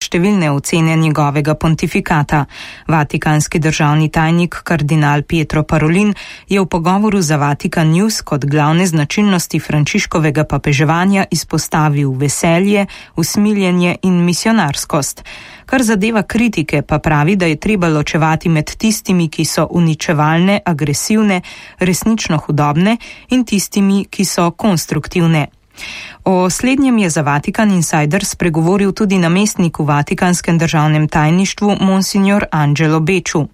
številne ocene njegovega pontifikata. Vatikanski državni tajnik kardinal Pietro Parolin je v pogovoru za Vatikan News kot glavne značilnosti Frančiškovega papeževanja izpostavil veselje, usmiljenje in misionarskost. Kar zadeva kritike, pa pravi, da je treba ločevati med tistimi, ki so uničevalne, agresivne, resnično hudobne in tistimi, ki so konstruktivne. O slednjem je za Vatikan Insider spregovoril tudi namestnik v Vatikanskem državnem tajništvu Monsignor Angelo Becciu.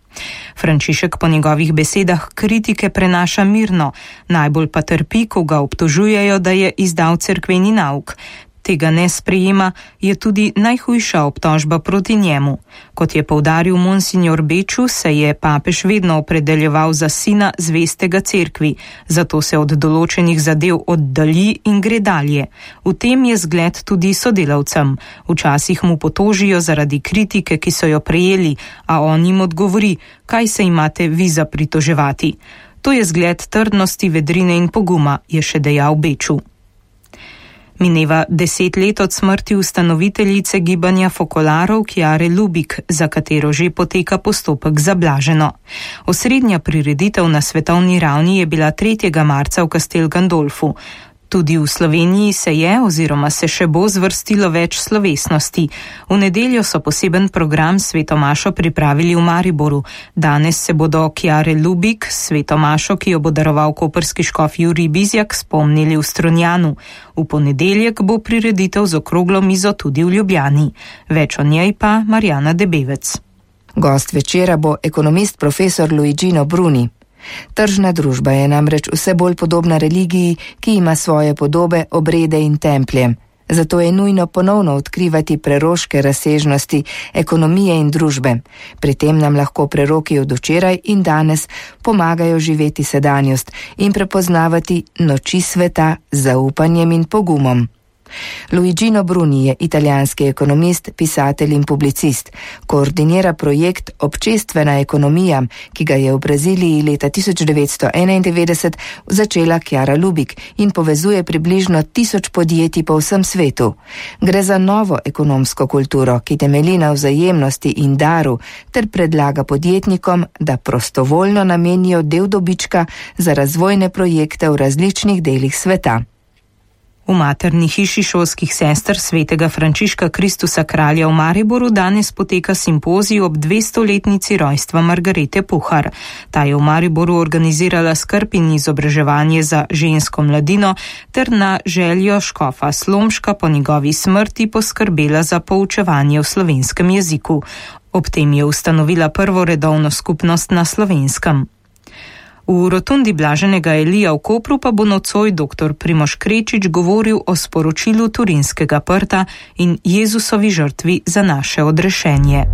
Frančišek po njegovih besedah kritike prenaša mirno, najbolj pa trpi, ko ga obtožujejo, da je izdal cerkveni nauk. Tega ne sprejema, je tudi najhujša obtožba proti njemu. Kot je poudaril Monsignor Becciu, se je papež vedno opredeljeval za sina zvestega cerkvi, zato se od določenih zadev oddalji in gre dalje. V tem je zgled tudi sodelavcem. Včasih mu potožijo zaradi kritike, ki so jo prejeli, a on jim odgovori, kaj se imate vi za pritoževati. To je zgled trdnosti, vedrine in poguma, je še dejal Becciu. Mineva 10 let od smrti ustanoviteljice gibanja fokolarov Chiare Lubich, za katero že poteka postopek za blaženo. Osrednja prireditev na svetovni ravni je bila 3. marca v Castel Gandolfu. Tudi v Sloveniji se je oziroma se še bo zvrstilo več slovesnosti. V nedeljo so poseben program svetomašo pripravili v Mariboru. Danes se bodo Chiare Lubich, svetomašo, ki jo bo daroval koprski škof Jurij Bizjak, spomnili v Strunjanu. V ponedeljek bo prireditev z okroglo mizo tudi v Ljubljani. Več o njej pa Marjana Debevec. Gost večera bo ekonomist profesor Luigino Bruni. Tržna družba je namreč vse bolj podobna religiji, ki ima svoje podobe, obrede in templje. Zato je nujno ponovno odkrivati preroške razsežnosti ekonomije in družbe. Pri tem nam lahko preroki od včeraj in danes pomagajo živeti sedanjost in prepoznavati noči sveta z zaupanjem in pogumom. Luigino Bruni je italijanski ekonomist, pisatelj in publicist. Koordinira projekt Občestvena ekonomija, ki ga je v Braziliji leta 1991 začela Chiara Lubich in povezuje približno 1000 podjetij po vsem svetu. Gre za novo ekonomsko kulturo, ki temelji na vzajemnosti in daru, ter predlaga podjetnikom, da prostovoljno namenijo del dobička za razvojne projekte v različnih delih sveta. V materni hiši šolskih sester svetega Frančiška Kristusa kralja v Mariboru danes poteka simpozij ob 200-letnici rojstva Margarete Puhar. Ta je v Mariboru organizirala skrb in izobraževanje za žensko mladino ter na željo škofa Slomška po njegovi smrti poskrbela za poučevanje v slovenskem jeziku. Ob tem je ustanovila prvo redovno skupnost na Slovenskem. V rotundi Blaženega Elija v Kopru pa bo nocoj dr. Primož Krečič govoril o sporočilu Turinskega prta in Jezusovi žrtvi za naše odrešenje.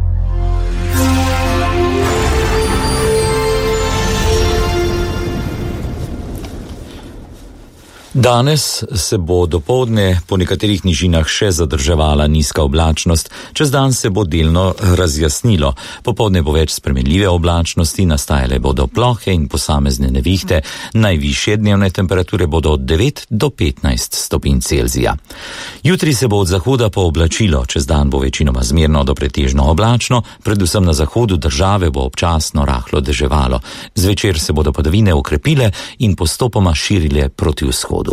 Danes se bo dopoldne po nekaterih nižinah še zadrževala nizka oblačnost, čez dan se bo delno razjasnilo. Popoldne bo več spremenljive oblačnosti, nastajale bodo plohe in posamezne nevihte, najvišje dnevne temperature bodo od 9 do 15 stopinj Celzija. Jutri se bo od zahoda pooblačilo, čez dan bo večinoma zmerno do pretežno oblačno, predvsem na zahodu države bo občasno rahlo deževalo. Zvečer se bodo padavine okrepile in postopoma širile proti vzhodu.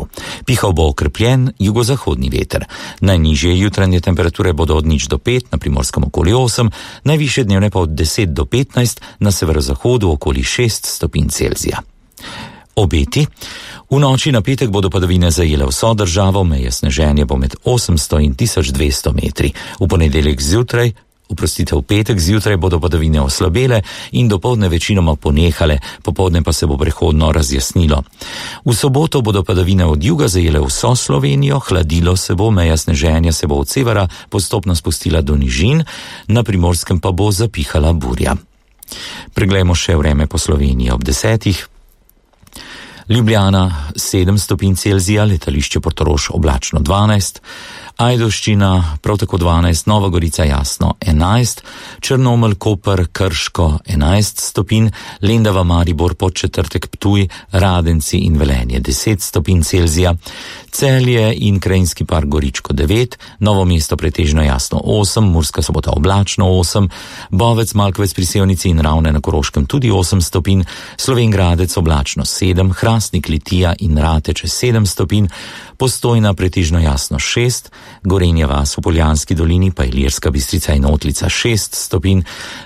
Pihal bo okrepljen jugozahodni veter. Najnižje jutranje temperature bodo od 0 do 5, na Primorskem okoli 8, najvišje dnevne pa od 10 do 15, na severozahodu okoli 6 stopinj Celzija. Obeti. V noči na petek bodo padavine zajele vso državo, meje sneženja bo med 800 in 1200 metri. V ponedeljek zjutraj, v petek zjutraj bodo padavine oslabele in dopoldne večinoma ponehale, popoldne pa se bo prehodno razjasnilo. V soboto bodo padavine od juga zajele vso Slovenijo, hladilo se bo, meja sneženja se bo od severa postopno spustila do nižin, na Primorskem pa bo zapihala burja. Preglejmo še vreme po Sloveniji ob 10. Ljubljana 7 stopinj Celzija, letališče Portorož oblačno 12, Ajdovščina prav tako 12, Nova Gorica Jasno 11, Črnomelj, Koper, Krško 11 stopinj, Lendava, Maribor, Podčetrtek, Ptuj, Radenci in Velenje 10 stopinj Celzija, Celje in Krajinski park Goričko 9, Novo mesto pretežno jasno 8, Murska Sobota oblačno 8, Bovec, Malkovec pri Sevnici in Ravne na Koroškem tudi 8 stopinj, Slovenj Gradec oblačno 7, Hrastnik, Litija in Rateče 7 stopinj, Postojna pretežno jasno 6, Gorenja vas v Poljanski dolini pa Ilirska Bistrica in Otlica 6 stopinj,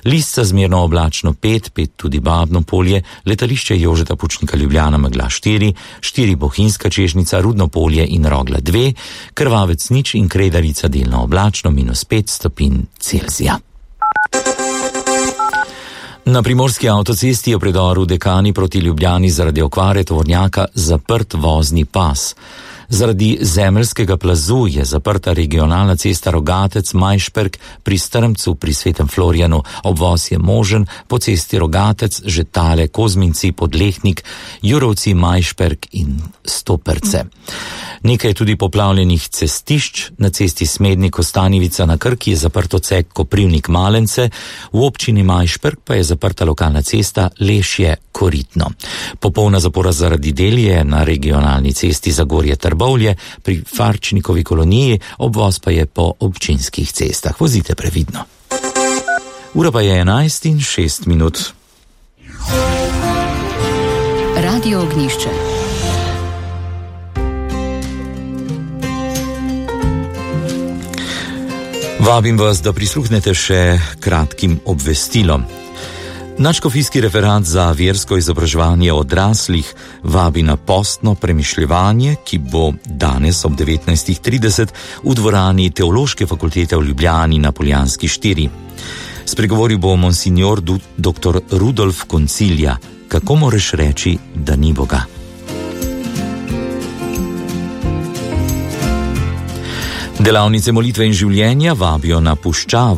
Lisca zmerno oblačno 5 tudi Babno Polje, Letališče Jožeta Pučnika Ljubljana megla 4 Bohinjska Čežnica, Rudno Polje in Rogla 2, Krvavec nič in Kredarica delno oblačno -5 stopinj Celzija. Na primorski avtocesti je v predoru Dekani proti Ljubljani zaradi okvare tovornjaka zaprt vozni pas. Zaradi zemeljskega plazu je zaprta regionalna cesta Rogatec-Majšperk pri Strmcu pri Svetem Florijanu. Obvoz je možen po cesti Rogatec, Žetale, Kozminci, Podlehnik, Jurovci, Majšperk in Stoperce. Nekaj je tudi poplavljenih cestišč. Na cesti Smednik-Kostanjevica na Krki je zaprt odsek Koprivnik-Malence, v občini Majšperk pa je zaprta lokalna cesta Lešje-Koritno. Popolna zapora zaradi del je na regionalni cesti Zagorje-Trbovlje pri Farčnikovi koloniji, obvoz pa je po občinskih cestah. Vozite previdno. Ura pa je 11:06. Radio Ognjišče. Vabim vas, da prisluhnete še kratkim obvestilom. Nadškofijski referat za versko izobraževanje odraslih vabi na postno premišljevanje, ki bo danes ob 19:30 v dvorani Teološke fakultete v Ljubljani na Poljanski 4. Spregovoril bo monsignor dr. Rudolf Koncilja. Kako moraš reči, da ni Boga? Delavnice molitve in življenja vabijo na puščavo